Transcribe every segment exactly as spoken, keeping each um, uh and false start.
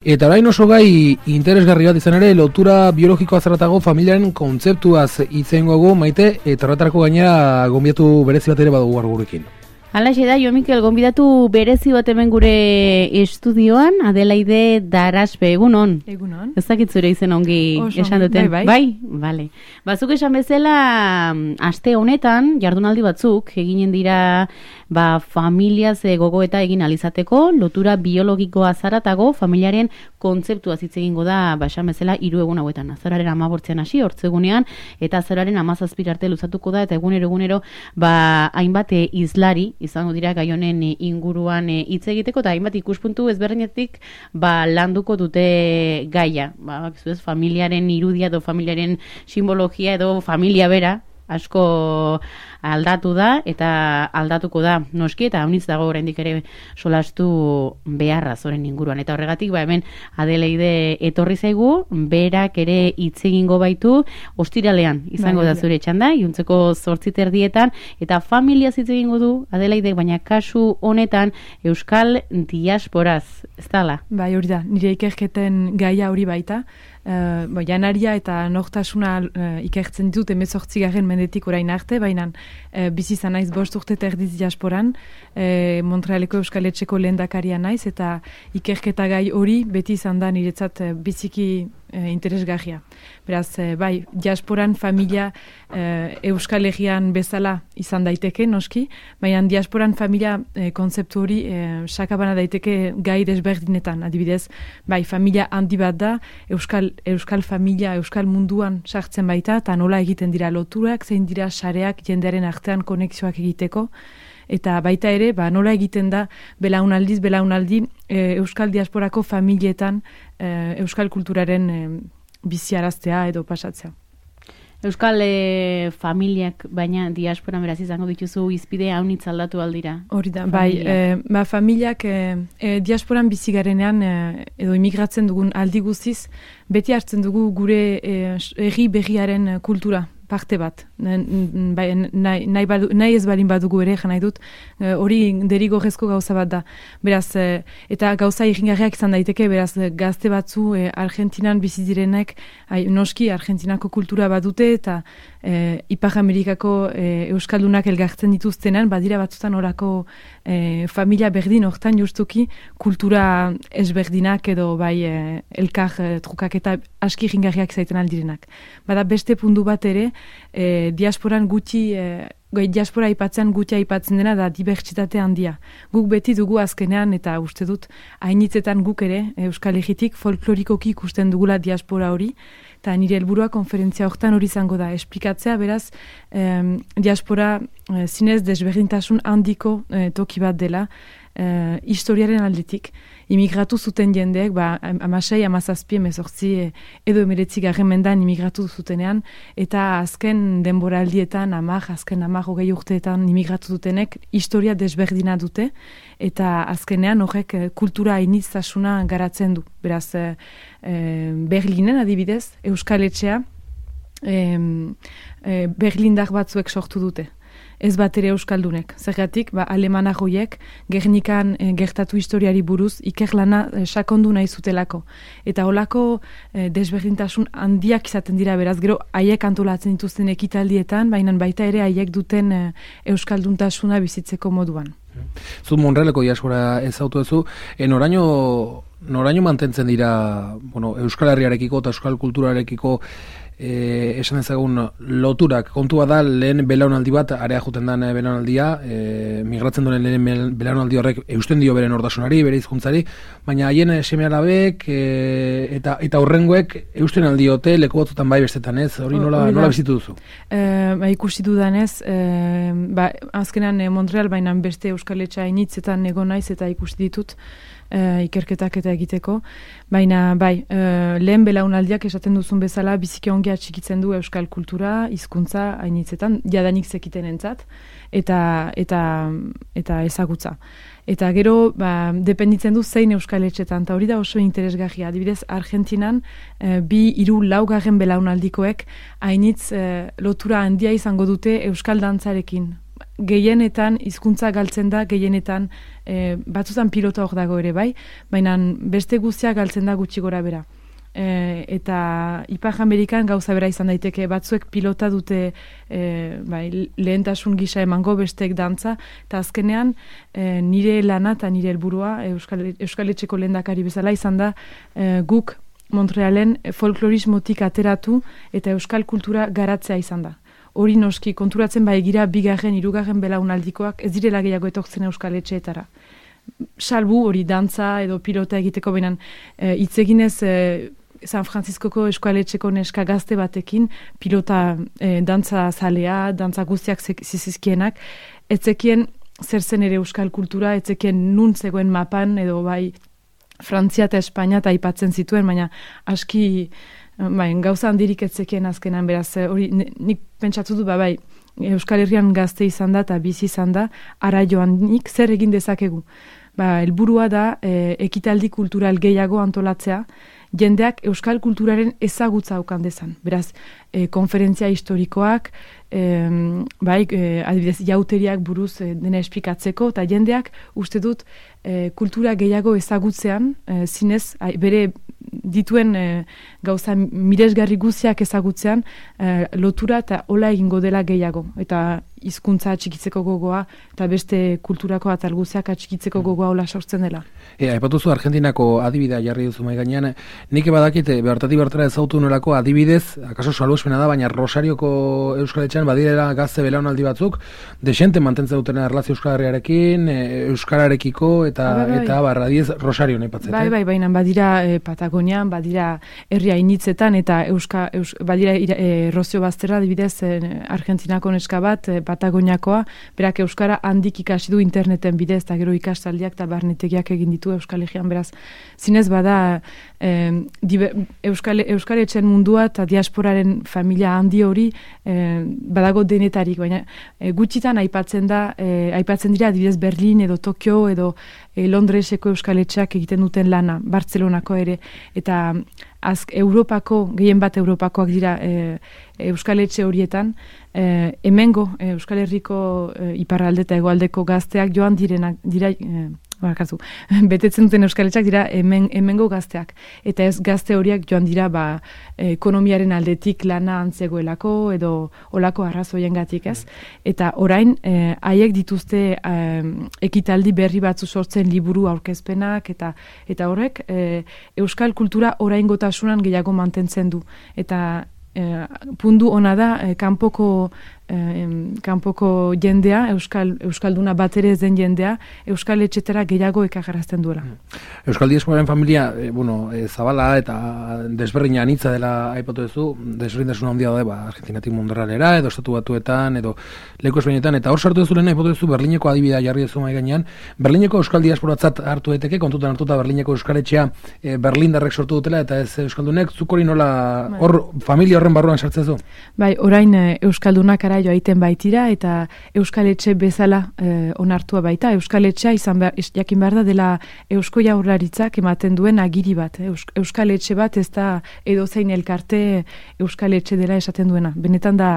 Eta orain oso gai interesgarri bat izan ere, lotura biologikoa zerratago familiaren kontzeptuaz hitz egingo dugu, Maite, eta horretarako gainera gonbidatu berezi bat ere badugu gaur gurekin. Halaxe da, Jo Mikel, gonbidatu berezi bat hemen gure estudioan, Adelaide Daraspe, egunon. Egunon. Ez dakit zure izen ongi Oso, esan duten. Bai, bai. Bai, bale. Bazuk esan bezala, aste honetan, jardunaldi batzuk, eginen dira ba, familiaz gogoeta egin alizateko, lotura biologikoa zaratago, familiaren kontzeptua hitz egingo da, ba, esan bezala, hiru egun hauetan. Azararen amabortzean hasi, hortzegunean, eta azararen amazazpir arte luzatuko da, eta egunero egunero, ba, hainbat izlari, izango dira gai honen inguruan hitz egiteko, eta hainbat ikuspuntu ezberdinetik ba, landuko dute gaia. Ba, ez, familiaren irudia edo familiaren simbologia edo familia bera, asko aldatu da eta aldatuko da noski, eta haunitz dago oraindik ere solastu beharra zoren inguruan. Eta horregatik, ba, hemen Adelaide etorri zaigu, berak ere hitz egingo baitu, ostiralean izango da zure txanda, iluntzeko zortzi terdietan, eta familiaz hitz egingo du Adelaide, baina kasu honetan euskal diasporaz, ez dala? Bai, hori da, nire ikerketen gaia hori baita. Uh, bo, janaria eta nortasuna uh, ikertzen ditut emezortzigarren mendetik orain arte, baina uh, bizi izan naiz bost urte eta erdiz diasporan, uh, Montrealeko Euskal Etxeko lehendakaria naiz, eta ikerketa gai hori beti izan da niretzat uh, biziki uh, interesgarria. Beraz, uh, bai, diasporan familia uh, Euskal Herrian bezala izan daiteke, noski, baina diasporan familia uh, kontzeptu hori uh, sakabana daiteke gai desberdinetan, adibidez, bai, familia handi bat da, Euskal Euskal familia, Euskal munduan sartzen baita, eta nola egiten dira loturak, zein dira sareak jendearen artean konexioak egiteko, eta baita ere, ba, nola egiten da belaunaldiz, belaunaldi e, Euskal diasporako familietan e, Euskal kulturaren e, biziaraztea edo pasatzea. Euskal e, familiak, baina diasporan beraz izango dituzu izpide haunitz aldatu aldira. Hori da, bai, e, ba, familiak e, e, diasporan bizi garenean e, edo imigratzen dugun aldi guztiz, beti hartzen dugu gure herri e, berriaren kultura parte bat. Nahi, nahi, nahi ez balin badugu ere, nahi dut, hori derigorrezko gauza bat da. Beraz, eta gauza irringarriak izan daiteke, beraz, gazte batzu e, Argentinan bizi direnek, ai, noski Argentinako kultura badute, eta e, Ipar Amerikako e, Euskaldunak elgartzen dituztenan, badira batzutan orako e, familia berdin hortan justuki kultura ezberdinak edo bai e, elkar e, trukak eta aski irringarriak zaiten aldirenak. Bada beste puntu bat ere, E, diasporan gutxi, e, diaspora aipatzen gutxi aipatzen dena da dibertsitate handia. Guk beti dugu azkenean, eta uste dut, hainitzetan guk ere, Euskal Herritik folklorikoki ikusten dugula diaspora hori, eta nire helburua konferentzia hortan hori izango da. Esplikatzea, beraz, e, diaspora e, zinez desberdintasun handiko e, toki bat dela, e, historiaren aldetik. Imigratu zuten jendeek, ba, amasei, amazazpi, emezortzi, edo emeretzi garren mendan imigratu zutenean, eta azken denboraldietan, amak, azken amak hogei urteetan imigratu dutenek, historia desberdina dute, eta azkenean horrek kultura hainittasuna garatzen du. Beraz, e, Berlinen adibidez, Euskal Etxea, e, e, Berlindar batzuek sortu dute. Ez bat ere Euskaldunek. Zergatik, ba, alemanak hoiek, Gernikan e, gertatu historiari buruz, ikerlana e, sakondu nahi zutelako. Eta holako e, desberdintasun handiak izaten dira, beraz, gero haiek antolatzen dituzten ekitaldietan, baina baita ere haiek duten e, Euskalduntasuna bizitzeko moduan. Zu Montrealeko diaspora ezautu duzu, e, noraino, noraino mantentzen dira bueno, Euskal Herriarekiko eta Euskal Kulturarekiko E, esan ezagun loturak, kontua da lehen belaunaldi bat, area juten den belaunaldia, e, migratzen duen lehen belaunaldi horrek eusten dio bere nortasunari, bere hizkuntzari, baina haien seme alabek e, eta, eta horrengoek eusten aldiote leku batzutan bai bestetan ez, hori nola, nola bizitu duzu? E, ba, ikusi dudanez, e, ba, azkenan e, Montreal, baina beste Euskal Etxa initzetan egon naiz eta ikusi ditut, Uh, ikerketak eta egiteko, baina bai, uh, lehen belaunaldiak esaten duzun bezala biziki ongi atxikitzen du euskal kultura, hizkuntza hainitzetan, jadanik zekiten entzat, eta, eta, eta ezagutza. Eta gero, ba, dependitzen du zein euskal etxetan, eta hori da oso interesgarria. Adibidez, Argentinan, uh, bi hiru laugarren belaunaldikoek hainitz uh, lotura handia izango dute euskal dantzarekin. gehienetan hizkuntza galtzen da, gehienetan e, batzutan pilota hor dago ere bai, baina beste guztia galtzen da gutxi gora bera. E, eta Ipar Amerikan gauza bera izan daiteke, batzuek pilota dute e, bai, lehentasun gisa emango, besteek dantza, eta azkenean e, nire lana eta nire helburua Euskal, Euskal Etxeko lehendakari bezala izan da e, guk Montrealen folklorismotik ateratu eta euskal kultura garatzea izan da. Hori noski konturatzen bai gira bigarren, hirugarren belaunaldikoak ez direla gehiago etortzen Euskal Etxeetara. Salbu hori dantza edo pilota egiteko benan hitz e, eginez e, San Franciscoko Euskal Etxeko neska gazte batekin pilota e, dantza zalea, dantza guztiak zizizkienak, etzekien zer zen ere euskal kultura, etzekien nun zegoen mapan edo bai Frantzia eta Espainia eta aipatzen zituen, baina aski bai, gauza handirik etzekien azkenan, beraz, hori nik pentsatu du, ba, bai, Euskal Herrian gazte izan da eta bizi izan da, ara joan nik zer egin dezakegu. Ba, helburua da e, ekitaldi kultural gehiago antolatzea, jendeak euskal kulturaren ezagutza aukan dezan. Beraz, e, konferentzia historikoak, e, bai, e, adibidez, jauteriak buruz e, dena esplikatzeko, eta jendeak uste dut e, kultura gehiago ezagutzean, e, zinez, ai, bere dituen e, gauza miresgarri guziak ezagutzean, e, lotura eta hola egingo dela gehiago. Eta hizkuntza atxikitzeko gogoa, eta beste kulturako atal guziak atxikitzeko gogoa hola sortzen dela. E, aipatuzu Argentinako adibidea jarri duzu mai gainean, nik badakit behartatik bertara ezautu nolako adibidez, akaso salbuespena da, baina Rosarioko Euskal Etxean badirela gazte belaunaldi batzuk, desente mantentzen dutena erlazio Euskal Herriarekin, Euskararekiko, eta ba, bai. eta barra diez Rosario nahi patzete. Bai, bai, baina badira e, Patagonian, badira herria initzetan, eta Euska, Eus, badira e, Rozio Bazterra, adibidez e, Argentinako neska bat, e, Patagoniakoa, berak Euskara handik ikasi du interneten bidez, eta gero ikastaldiak eta barnetegiak egin ditu Euskal Herrian, beraz, zinez bada eh, dibe, Euskal, Euskal Etxen mundua eta diasporaren familia handi hori eh, badago denetarik, baina eh, gutxitan aipatzen da, eh, aipatzen dira adibidez Berlin edo Tokio edo eh, Londreseko Euskal Etxeak egiten duten lana, Bartzelonako ere, eta azk, Europako, gehien bat Europakoak dira eh, Euskal Etxe horietan, eh, hemengo eh, Euskal Herriko eh, iparralde eta hegoaldeko gazteak joan direnak, dira, eh, barkatu, betetzen duten Euskal Etxeak dira hemen, hemengo gazteak. Eta ez gazte horiek joan dira ba, ekonomiaren aldetik lana antzegoelako edo olako arrazoiengatik ez. Eta orain, eh, haiek dituzte eh, ekitaldi berri batzu sortzen liburu aurkezpenak eta eta horrek eh, Euskal kultura oraingotasunan gehiago mantentzen du. Eta eh, puntu ona da, eh, kanpoko Eh, kanpoko jendea, Euskal, Euskalduna bat ere ez den jendea, Euskal Etxetara gehiago ekagarrazten duela. Euskal diasporaren familia, e, bueno, e, zabala eta desberdina anitza dela aipatu duzu, desberdintasun handia da, ba, Argentinatik mundarralera, edo estatu batuetan, edo leku ezberdinetan, eta hor sartu duzu lehen aipatu duzu Berlineko adibidea jarri duzu mai gainean, Berlineko Euskal diasporatzat hartu daiteke, kontutan hartuta Berlineko Euskal Etxea e, Berlindarrek sortu dutela, eta ez Euskaldunek, zuk hori nola, hor familia horren barruan sartzen zu? Bai, orain Euskaldunak ara joa egiten baitira eta Euskal Etxe bezala eh, onartua baita. Euskal Etxea izan behar, jakin behar da dela Eusko Jaurlaritzak ematen duen agiri bat. Eus, Euskal Etxe bat ez da edozein elkarte Euskal Etxe dela esaten duena. Benetan da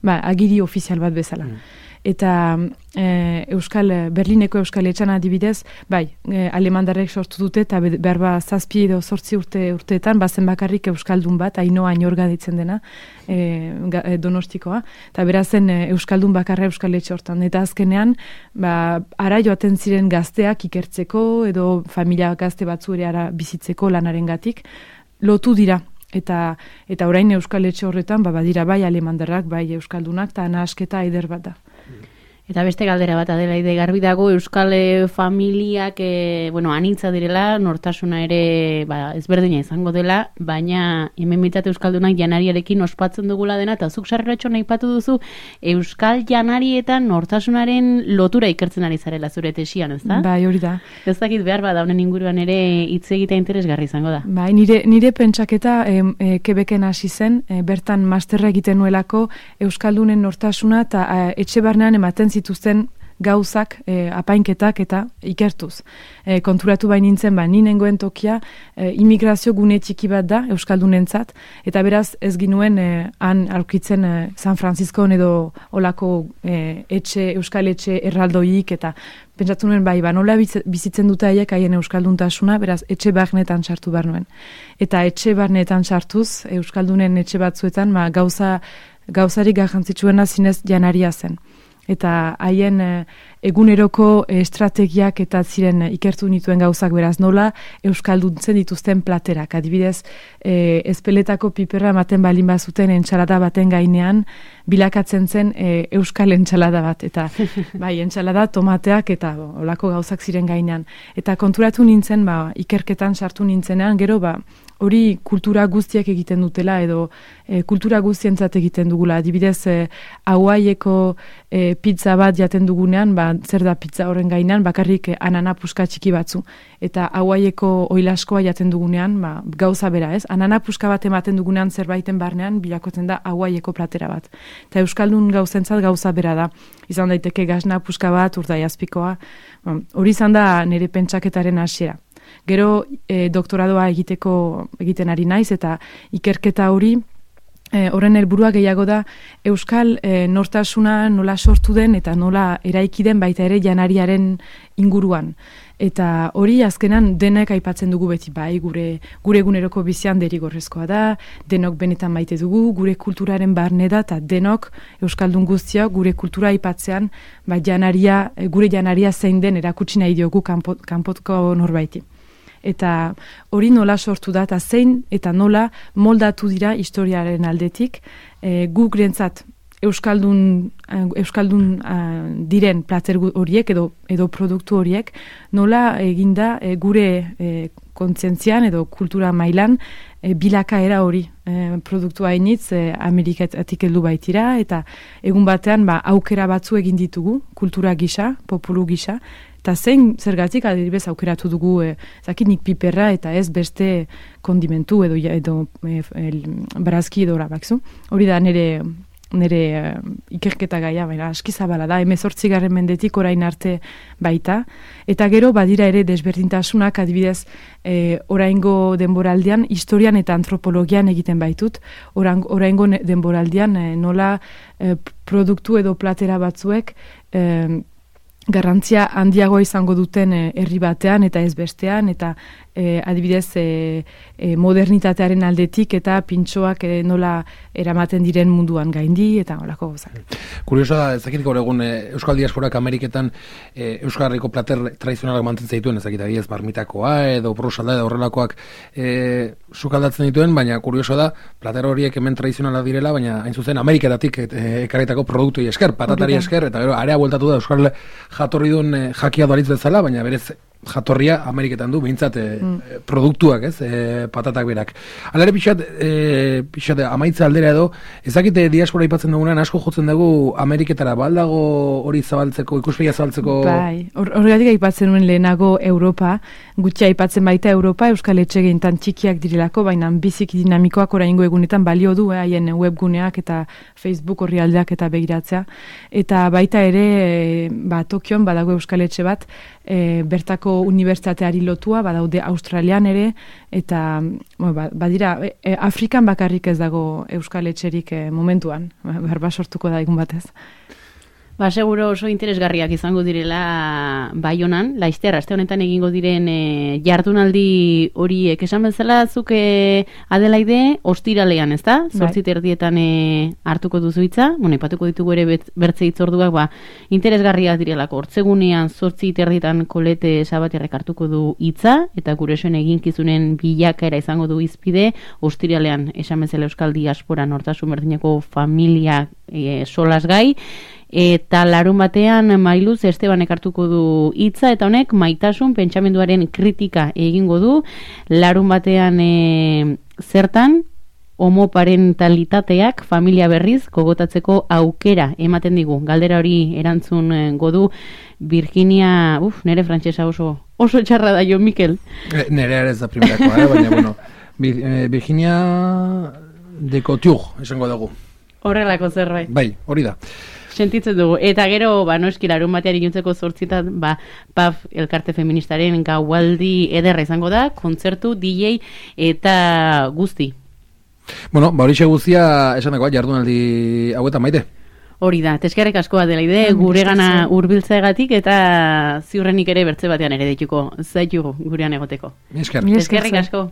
ba, agiri ofizial bat bezala. Mm. Eta e, Euskal, Berlineko Euskal Etxan adibidez, bai, e, alemandarrek sortu dute eta behar ba zazpi edo zortzi urte urteetan, bazen bakarrik Euskaldun bat, Ainoa Ainorga ditzen dena, e, Donostikoa, eta berazen e, Euskaldun bakarra Euskal Etxe hortan. Eta azkenean, ba, ara joaten ziren gazteak ikertzeko edo familia gazte batzu ere ara bizitzeko lanarengatik, lotu dira. Eta eta orain Euskal Etxe horretan, ba, badira bai alemandarrak, bai Euskaldunak, eta nahasketa eder bat da. Eta beste galdera bat Adelaide, garbi dago Euskal familiak e, bueno, anitza direla, nortasuna ere ba, ezberdina izango dela, baina hemen bitzat Euskaldunak janariarekin ospatzen dugula dena, eta zuk sarreratxo aipatu duzu Euskal janari eta nortasunaren lotura ikertzen ari zarela zure tesian, ez da? Bai, hori da. Ez dakit behar bada honen inguruan ere hitz egitea interesgarri izango da. Bai, nire, nire pentsaketa e, e, Quebecen hasi zen, e, bertan masterra egiten nuelako Euskaldunen nortasuna eta e, etxe barnean ematen zituzten gauzak, e, apainketak eta ikertuz. E, konturatu bain nintzen, ba, ninengoen tokia e, imigrazio gune txiki bat da euskaldunentzat, eta beraz ez ginuen e, han aurkitzen e, San Francisco edo olako e, etxe, euskal etxe erraldoik, eta pentsatu nuen, bai, ba, nola bizitzen dute haiek haien euskalduntasuna, beraz etxe barnetan sartu behar nuen. Eta etxe barnetan sartuz, euskaldunen etxe batzuetan, ma, gauza, gauzarik garrantzitsuena zinez janaria zen. Eta haien e, eguneroko estrategiak eta ziren e, ikertu nituen gauzak, beraz nola euskalduntzen dituzten platerak. Adibidez, e, ezpeletako piperra ematen balin bazuten entxalada baten gainean, bilakatzen zen e, euskal entxalada bat. Eta bai, entxalada, tomateak eta olako gauzak ziren gainean. Eta konturatu nintzen, ba, ikerketan sartu nintzenean, gero, ba, hori kultura guztiak egiten dutela edo e, kultura guztientzat egiten dugula. Adibidez, e, Hawaieko e, pizza bat jaten dugunean, ba, zer da pizza horren gainean, bakarrik e, anana puska txiki batzu. Eta Hawaieko oilaskoa jaten dugunean, ba, gauza bera, ez? Anana puska bat ematen dugunean zerbaiten barnean, bilakotzen da Hawaieko platera bat. Eta euskaldun gauzentzat gauza bera da. Izan daiteke gasna puska bat, urdaiazpikoa. Hori izan da nire pentsaketaren hasiera. Gero e, doktoradoa egiteko egiten ari naiz eta ikerketa hori e, horren helburua gehiago da euskal e, nortasuna nola sortu den eta nola eraiki den baita ere janariaren inguruan. Eta hori azkenan denek aipatzen dugu beti, bai, gure gure eguneroko bizian derigorrezkoa da, denok benetan maite dugu, gure kulturaren barne da, eta denok euskaldun guztiak gure kultura aipatzean, bai, janaria, gure janaria zein den erakutsi nahi diogu kanpo, kanpotko norbaiti. Eta hori nola sortu da, eta zein eta nola moldatu dira historiaren aldetik, e, guk rentzat euskaldun, euskaldun uh, diren plater horiek edo, edo produktu horiek, nola eginda e, gure e, kontzientzian edo kultura mailan e, bilakaera hori e, produktua hainitz e, Amerikatik heldu baitira, eta egun batean ba, aukera batzu egin ditugu, kultura gisa, populu gisa, eta zein zergatik adibidez aukeratu dugu e, zakinik piperra eta ez beste kondimentu edo, edo e, e, barazki edo bakzu. Hori da nire nire uh, ikerketa gaia, baina aski zabala da, hemezortzigarren mendetik orain arte baita, eta gero badira ere desberdintasunak adibidez e, oraingo denboraldian historian eta antropologian egiten baitut, Orang, oraingo denboraldian e, nola e, produktu edo platera batzuek e, garrantzia handiagoa izango duten herri batean eta ez bestean, eta e, adibidez e, e, modernitatearen aldetik eta pintxoak e, nola eramaten diren munduan gaindi eta holako gozak. Kurioso da, ezakit gaur egun e, Euskal Diasporak Ameriketan e, Euskal Herriko plater tradizionalak mantentzen dituen, ezakit adibidez barmitakoa edo prosalda edo horrelakoak e, sukaldatzen dituen, baina kurioso da, plater horiek hemen tradizionalak direla, baina hain zuzen Ameriketatik e, ekarritako produktui esker, patatari esker, eta gero area bueltatu da Euskal jatorri duen e, jakia dualitz bezala, baina berez jatorria Ameriketan du, behintzat e, mm. produktuak, ez, e, patatak berak. Alare pixat, e, pixat amaitza aldera edo, ezakite diaspora ipatzen dugunean, asko jotzen dugu Ameriketara, baldago hori zabaltzeko, ikuspegia zabaltzeko... Bai, horregatik aipatzen nuen lehenago Europa, gutxi aipatzen baita Europa, Euskal Etxegeintan txikiak direlako, baina biziki dinamikoak oraingo egunetan balio du, eh, haien webguneak eta Facebook orrialdeak eta begiratzea, eta baita ere, e, ba, Tokion badago Euskal Etxe bat, e, bertako unibertsitateari lotua, badaude Australian ere, eta bueno, badira, e, Afrikan bakarrik ez dago Euskal Etxerik e, momentuan, berba sortuko da egun batez. Ba, seguro oso interesgarriak izango direla Baionan, Laizter, aste honetan egingo diren e, jardunaldi horiek. Esan bezala, zuk e, Adelaide ostiralean, ez da? Zortzi terdietan e, hartuko duzu hitza, bueno, ipatuko ditugu ere bet, bertze hitzorduak, ba, interesgarriak direlako. Hortzegunean zortzi terdietan Kolete Sabaterrek hartuko du hitza, eta gure esoen eginkizunen bilakaera izango du izpide, ostiralean, esan bezala Euskal Diaspora Nortasun Berdineko familia e, solas gai, eta larun batean Mailuz Estebanek hartuko du hitza, eta honek maitasun pentsamenduaren kritika egingo du. Larun batean e, zertan homoparentalitateak familia berriz gogotatzeko aukera ematen digu. Galdera hori erantzun godu Virginia, uf, nere frantsesa oso oso txarra da, jo Mikel. E, nere ere ez da primerakoa, eh? Baina bueno, Virginia de Couture esango dugu. Horrelako zerbait. Bai, hori da. sentitzen dugu. Eta gero, ba, noski, larun batean iluntzeko zortzitan, ba, P A F elkarte feministaren gaualdi ederra izango da, kontzertu, D J eta guzti. Bueno, ba horixe guztia esan dagoa jardunaldi hauetan Maite. Hori da, teskerrek askoa dela ide, gure gana hurbiltzeagatik eta ziurrenik ere bertze batean ere dituko zaitugu gurean egoteko. Esker. Teskerrik asko.